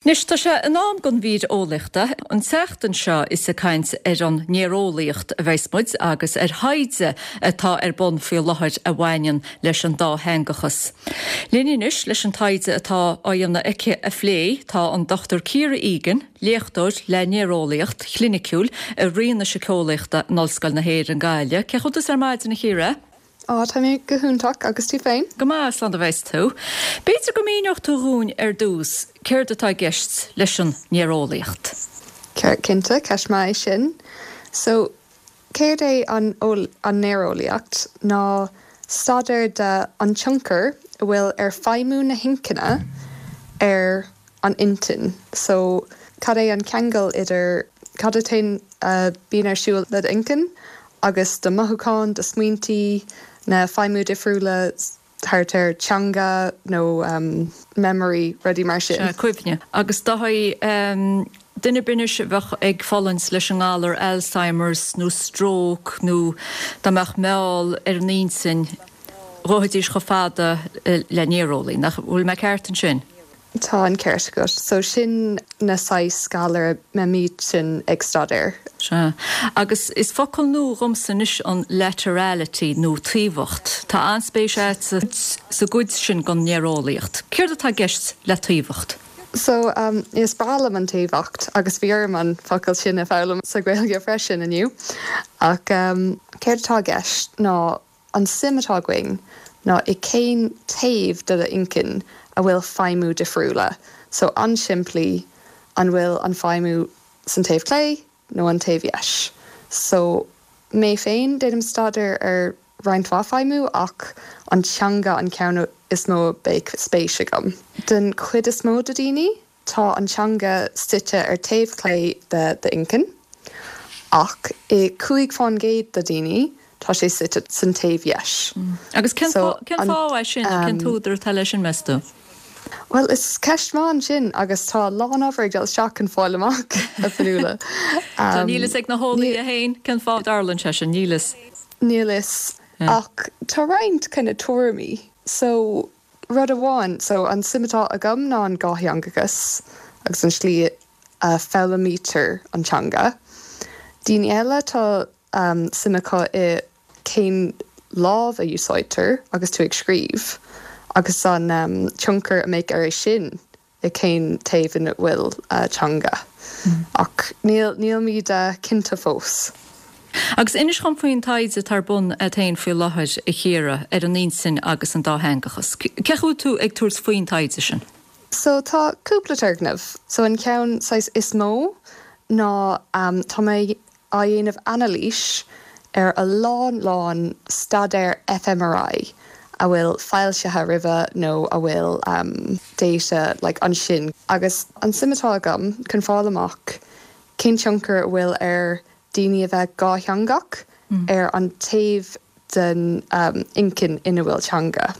Anois tá sé in am don mhír eolaíochta. An tseachtain seo is ag caint ar an néareolaíocht a bheas muid agus ar thaighde atá ar bun faoi láthair a bhaineann leis an dátheangachas. Linn anois leis an taighde atá á dhéanamh aici a phlé tá an Dr Ciara Egan, léachtóir le néareolaíocht chliniciúil i Roinn na Síceolaíochta in Ollscoil na hÉireann, Gaillimh. Cén chaoi a bhfuil tusa ar maidin, a Chiara? Á, tá mé go hiontach, agus tú féin? Go maith, slán a bheas tú. B'fhéidir go míneodh tú dhúinn ar dtús céard atá i gceist leis an néareolaíocht? Cinnte, ceist maith é sin. So, céard é an an néareolaíocht ná staidéar de an tionchar a bhfuil ar feidhmiú na hinchinne ar an intinn. So, cad é an ceangal idir cad atá a bíonn ar siúl le d'inchinn agus do mothúcháin, do smaointí, na feidhmiú difriúla thart ar teanga nó memory, rudaí mar sin. Sea, cuimhne. Agus dóigh, duine ar bith anois a bheadh ag fulaingt leis an ngalar Alzheimer's nó stróc nó dá mbeadh meall ar an intinn, ghabhfaidís chomh fada le néareolaí. Nach bhfuil mé ceart ansin? Tá an ceart agat. So sin na saghas galar a mbeimid sin ag staidéar. Sea. Agus is focal nua dhomsa anois an laterality nó taobhacht. Tá an-spéis agatsa sa gcuid sin den néareolaíocht. Céard atá i gceist le taobhacht? So, is breá liom an taobhacht agus bhí orm an focal sin a foghlaim sa Ghaeilge freisin inniu. Ach céard atá i gceist ná An suim atá againn ná i cén taobh de d'inchinn a bhfuil feidhmiú difriúla. So an-simplí, an bhfuil an feidhmiú san taobh clé nó an taobh dheis? So mé féin, déanaim staidéar ar roinnt mhaith feidhmiú ach an teanga an ceann is mó a bheadh spéis agam. Den chuid is mó de daoine, Tá an teanga suite ar taobh clé de d'inchinn, ach i 5% de daoine tá sé suite san taobh dheis. Agus cén fáth é sin, nó cén t-údar atá leis sin, meas tú? Bhuel, is ceist maith ansin agus tá a lán obair ag dul isteach chun fáil amach, a Fionnuala. So níl fhios ag na heolaithe féin cén fáth a dtarlaíonn sé sin, níl fhios. Níl fhios. Ach tá roinnt kind of tuairimí. So Rud amháin, so an suim atá agam ná an dhátheangachas agus an slí a foghlaimítear an teanga. Daoine eile tá suim acu i cén lámh a úsáidtear agus tú ag scríobh agus an tionchar a mbeadh ar é sin i cén taobh ina bhfuil teanga. Ach níl, nílimid cinnte fós. Agus inis dhom faoin taighde atá ar bun agat féin faoi láthair, a Chiara, ar an intinn agus an dátheangachas. Cén chaoi a bhfuil tú ag tabhairt faoin taighde sin? So tá cúpla turgnamh. So an ceann saghas is mó ná tá mé á dhéanamh anailís ar a lán lán staidéar fMRI a bhfuil foilsithe roimhe nó a bhfuil data like ansin agus an suim atá agam chun fáil amach cén tionchar a bhfuil ar daoine a bheith dhátheangach ar an taobh den inchinn ina bhfuil teanga.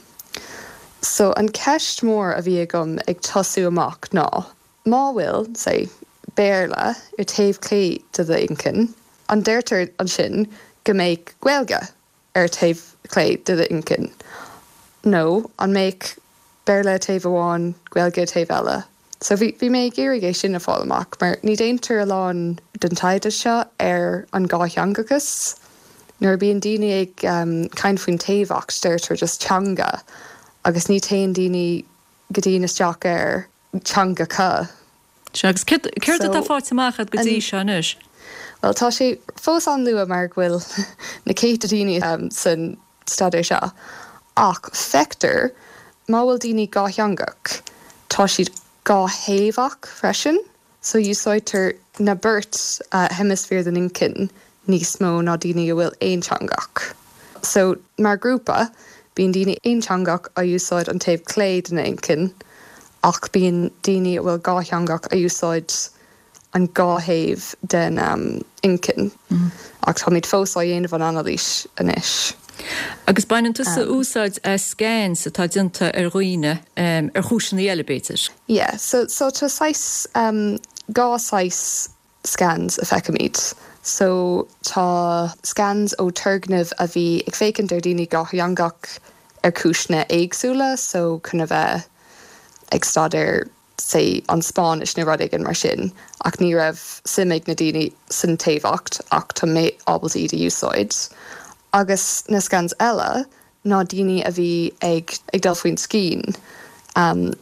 So an ceist mór a bhí agam ag tosú amach ná Má bhfuil, say, Béarla ar taobh clé de d'inchinn, an deirtear ansin go mbeadh Gaeilge ar taobh clé de d'inchinn? Nó an mbeadh Béarla ar taobh amháin, Gaeilge ar taobh eile? So bhí, bhí mé ag iarraidh é sin a fáil amach, mar ní déantar a lán den taighde seo ar an dhátheangachas. Nuair a bíonn daoine ag caint faoin taobhacht, deirtear just teanga agus ní téann daoine go dian isteach ar teangacha. Sea, agus céard atá faighte amach agat go dtí seo anois? Bhuel, tá sé fós an-luath mar go bhfuil na céadta daoine san staidéar seo, ach feictear má bhfuil daoine dhátheangach, tá siad dáthaobhach freisin. So úsáidtear na beirt heimisféar den inchinn níos mó ná daoine a bhfuil aonteangach. So mar grúpa, bíonn daoine aonteangach a úsáid an taobh clé den inchinn ach bíonn daoine a bhfuil dhátheangach a úsáid an dhá thaobh den inchinn. Ach táimid fós á dhéanamh an anailís anois. Agus baineann tusa úsáid as scans atá déanta ar dhaoine ar chúiseanna eile, b'fhéidir? Yeah, so so tá saghas dhá saghas scans a feicimid. So tá scans ó turgnaimh a bhí ag féachaint ar daoine dhátheangach ar cúiseanna éagsúla, so chun a bheith ag staidéar. say an Spáinnis nó rud éigin mar sin ach ní raibh suim ag na daoine san taobhacht ach tá mé ábalta iad a úsáid. Agus na scans eile ná daoine a bhí ag ag dul faoin scian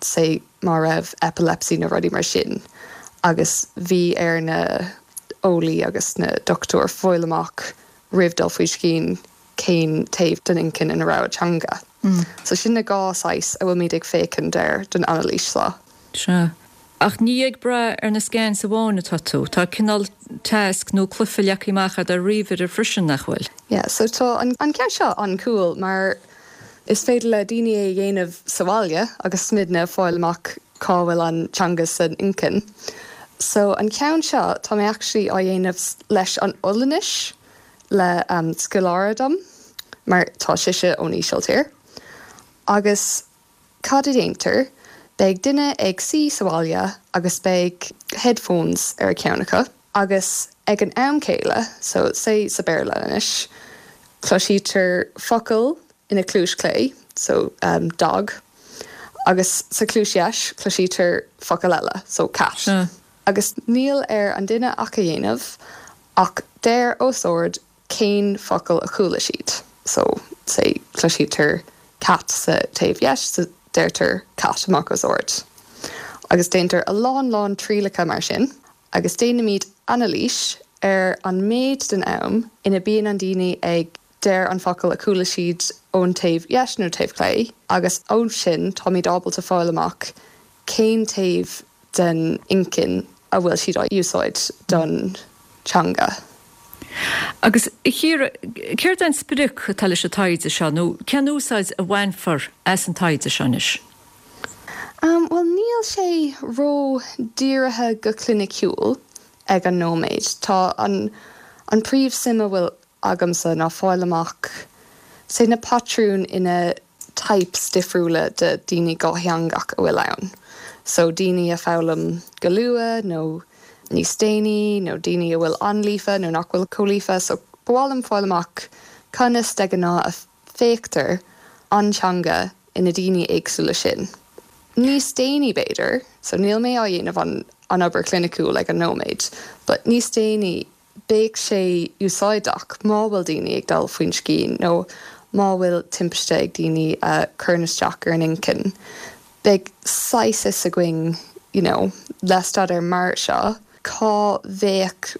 say má raibh epilepsy nó rudaí mar sin agus bhí ar na eolaí agus na dochtúir fáil amach roimh dul faoi scian cén taobh den inchinn ina raibh an teanga. So sin na dhá saghas a bhfuilmid ag féachaint air don anailís seo. Sea. Ach ní ag brath ar na scans amháin atá tú. Tá cineál tasc nó cluiche leagtha amach agat ar ríomhaire freisin, nach bhfuil? Yeah, so tá an ceann seo an-cool mar is féidir le daoine é a dhéanamh sa bhaile agus muidne fáil amach cá bhfuil an teanga san inchinn. So an ceann seo tá mé actually á dhéanamh leis an Ollainnis le scoláire dom mar tá sise ón Ísiltír. Agus cad a déantar? Beidh duine ag suí sa bhaile agus beidh headphones ar a ceann acu agus ag an am céile, so say sa Béarla anois, cloisítear focal ina cluais clé, so dog, agus sa cluais dheis cloisítear focal eile, so cat. Agus níl ar an duine ach a dhéanamh ach deir os ard cén focal a chuala siad. So, say, cloisítear cat sa taobh dheis, so deirtear cat amach os ard. Agus déantar a lán lán trialacha mar sin agus déanaimid anailís ar an méid den am ina bíonn an daoine ag deir an focal a chuala siad ón taobh dheis nó taobh clé agus ó sin táimid ábalta fáil amach cén taobh den inchinn a bhfuil siad á úsáid don teanga. Agus, a Chiara, céard é an sprioc atá leis an taighde seo, nó cén úsáid a bhainfear as an taighde seo anois? Bhuel, níl sé ró-dírithe go cliniciúil ag an nóiméad. Tá an an príomh-suim a bhfuil agamsa ná fáil amach say na patrúin ina types difriúla de daoine dhátheangach a bhfuil ann. So daoine a foghlaim go luath nó níos déanaí nó daoine a bhfuil an-líofa nó nach bhfuil chomh líofa. So ba mhaith liom fáil amach conas de ghnáth a féachtar an teanga ina daoine éagsúla sin. Níos déanaí b'fhéidir, so níl mé á dhéanamh an an obair chliniciúil ag an nóiméad, but níos déanaí Beidh sé úsáideach má bhfuil daoine ag dul faoin scian nó má bhfuil timpiste ag daoine a chuireann isteach ar an inchinn. Beidh saghas fhios againn you know le staidéar mar seo cá bheadh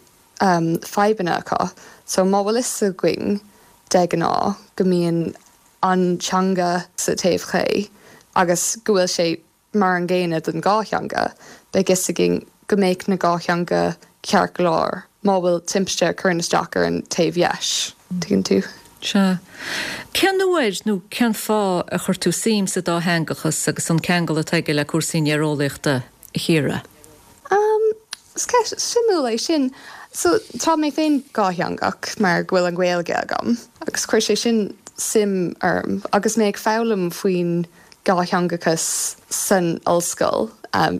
fadhbanna acu. So má bhfuil fhios againn de ghnáth go mbíonn an teanga sa taobh clé agus go bhfuil sé Mar an gcéanna don dhá theanga, beidh fhios againn go mbeadh na dhá theanga ceart go leor má bhfuil timpiste a chuireann isteach ar an taobh dheis. Tuigeann tú? Sea. Cén uair nó cén fáth a chuir tú suim sa dátheangachas agus an ceangal atá aige le cúrsaí néareolaíochta, a Chiara? Is ceist suimiúil é sin. So, tá mé féin dhátheangach mar go bhfuil an Ghaeilge agam agus chuir sé sin suim orm agus mé ag foghlaim faoin dhátheangachas san ollscoil,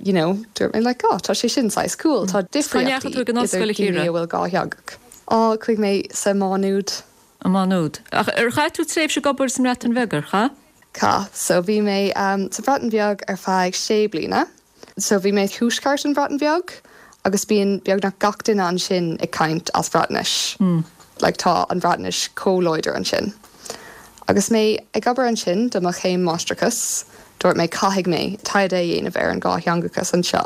you know, dúirt mé like, oh, tá sé sin saghas cool, tá difríochtaí idir daoine a bhfuil dhátheangach. Á, chuaigh mé sa Má Nuad. I Má Nuad. Ach ar chaith tú tréimhse ag obair sa mBreatain Bheag, ar chaith? Chaith. So bhí mé sa Bhreatain Bheag ar feadh sé bliana. So bhí mé i thuaisceart an Bhreatain Bheag agus bíonn beagnach gach duine ansin ag caint as Breatnais. Like tá an Bhreatnais chomh láidir ansin. Agus mé ag obair ansin do mo chéim máistreachais, dúirt mé caithfidh mé taighde a dhéanamh ar an dhátheangachas anseo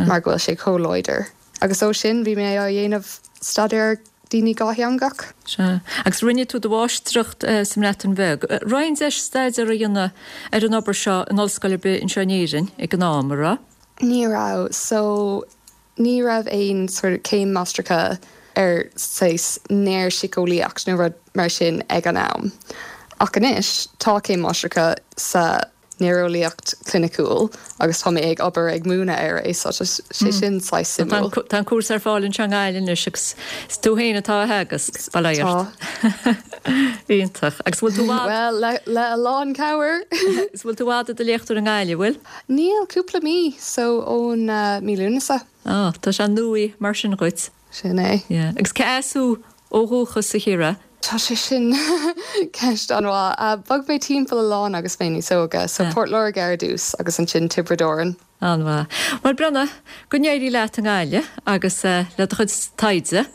mar go bhfuil sé chomh láidir. Agus ó sin bhí mé á dhéanamh staidéar daoine dhátheangach. Sea. Agus rinne tú do mháistreacht sa mBreatain Bheag. Raibh aon deis staidéar a dhéanamh ar an obair seo in ollscoil ar bith anseo in Éirinn ag an am, a raibh? Ní raibh. So, ní raibh aon sort of céim máistreachta ar saghas néarshiceolaíocht nó rud mar sin ag an am. Ach anois, tá céim máistreachta sa néareolaíocht chliniciúil agus tá mé ag obair ag múineadh air é so tá sé sin saghas suimiúil. Tá an cúrsa ar fáil anseo i nGaillimh anois agus is tú féin atá á theagasc, bail ó Dhia ort. Tá. Iontach. Agus bhfuil tú i bhfad? Bhuel, le le a lán cabhair. Is bhfuil tú i bhfad i do léachtóir i nGaillimh, bhfuil? Níl, cúpla mí, so ón mí Lúnasa. Á, tá sé nuaí mar sin dhuit. Sin é. Yeah. Agus cé as thú ó dhúchas, a Chiara? Tá sé sin ceist an-mhaith. Bhog mé timpeall a lán agus mé níos óige, so Port Láirge ar dtús agus ansin Tiobraid Árann. An-mhaith. Bhuel, Bronagh, go n-éirí leat i nGaillimh agus le do chuid taighde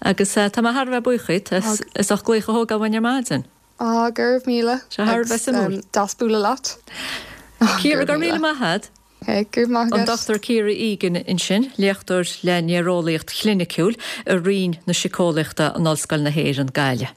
agus tá mé thar a bheith buíoch díot as ucht glaoch a thógáil uainn ar maidin. Á, go raibh míle. Sé thar a bheith suimiúil. Deas bualadh leat. Ciara, go raibh míle maith agat. Ok, go raibh maith agat. An Dr Ciara Egan ansin, léachtóir le néareolaíocht chliniciúil i Roinn na Síceolaíochta in Ollscoil na hÉireann, Gaillimh.